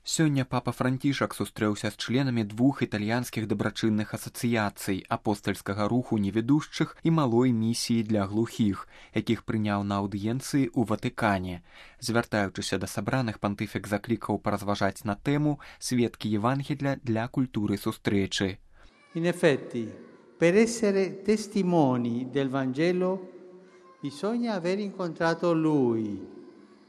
Сёння папа Францішак сустрэўся з членамі двух італьянскіх дабрачынных асацыяцый апостальскага руху невідушчых і малой місіі для глухіх, якіх прыняў на аўдыенцыі ў Ватыкане. Звяртаючыся да сабраных, пантыфік заклікаў паразважаць на тэму «Сведкі Євангелія для культуры сустрэчы». In effetti, per essere testimoni del Vangelo bisogna aver incontrato Lui,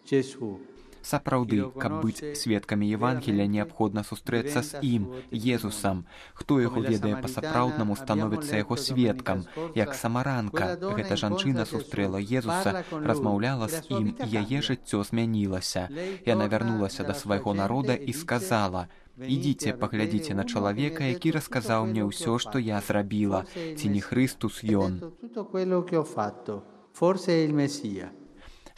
Gesù. Сапраўды, каб быць сведкамі Євангелія, неабходна сустрэцца з ім, Езусам. Хто яго ведае па-сапраўднаму, становіцца яго сведкам. Як самаранка, гэта жанчына сустрэла Езуса, размаўляла з ім, і яе жыццё змянілася. Яна вярнулася да свайго народа і сказала: «Ідзіце, паглядзіце на чалавека, які расказаў мне ўсё, што я зрабіла. Ці не Хрыстус ён?»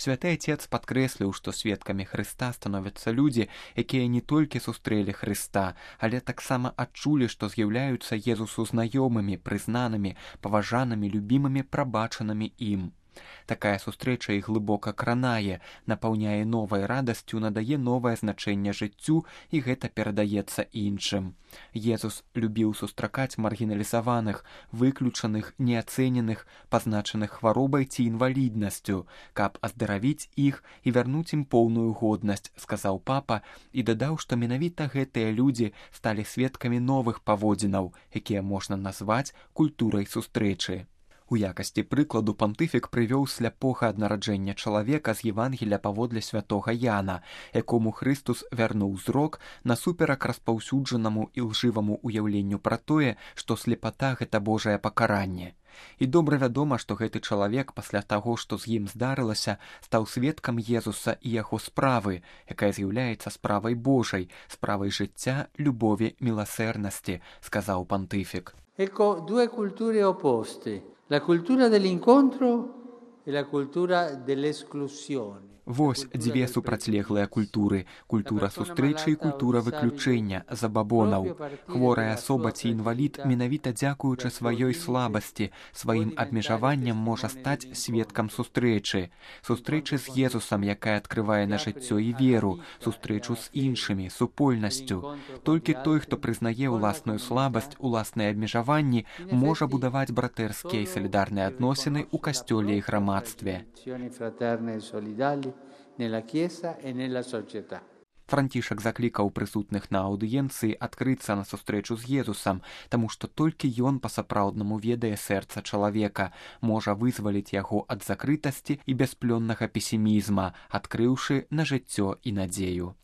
Святы Отец падкрэсліў, што сведкамі Хрыста становяцца людзі, якія не толькі сустрэлі Хрыста, але таксама адчулі, што з'яўляюцца Езусу знаёмымі, прызнанымі, паважанымі, любімымі, прабачанымі ім. Такая сустрэча іх глыбока кранае, напаўняе новай радасцю, надае новае значэнне жыццю, і гэта перадаецца іншым. Езус любіў сустракаць маргіналізаваных, выключаных, неацэненых, пазначаных хваробай ці інваліднасцю, каб аздаравіць іх і вярнуць ім поўную годнасць, сказаў папа, і дадаў, што менавіта гэтыя людзі сталі сведкамі новых паводзінаў, якія можна назваць культурай сустрэчы. У якасці прыкладу пантыфік прывёў сляпога ад нараджэння чалавека з Євангелія паводле святога Яна, якому Хрыстус вярнуў зрок насуперак распаўсюджанаму і лжываму ўяўленню пра тое, што слепата — гэта Божае пакаранне. І добра вядома, што гэты чалавек пасля таго, што з ім здарылася, стаў сведкам Езуса і яго справы, якая з'яўляецца справай Божай, справай жыцця, любові, міласэрнасці, сказаў пантыфік. Ecco due culture opposte. La cultura dell'incontro e la cultura dell'esclusione. Вось дзве супрацьлеглыя культуры — культура сустрэчы і культура выключэння, забабонаў. Хворая асоба ці інвалід менавіта дзякуючы сваёй слабасці, сваім абмежаванням можа стаць сведкам сустрэчы. Сустрэчы з Езусам, якая адкрывае на жыццё і веру, сустрэчу з іншымі, супольнасцю. Толькі той, хто прызнае ўласную слабасць, уласныя абмежаванні, можа будаваць братэрскія і салідарныя адносіны ў касцёле і грамадстве. Францішак заклікаў прысутных на аўдыенцыі адкрыцца на сустрэчу з Езусам, таму што толькі ён па-сапраўднаму ведае сэрца чалавека, можа вызваліць яго ад закрытасці і бясплённага песімізма, адкрыўшы на жыццё і надзею.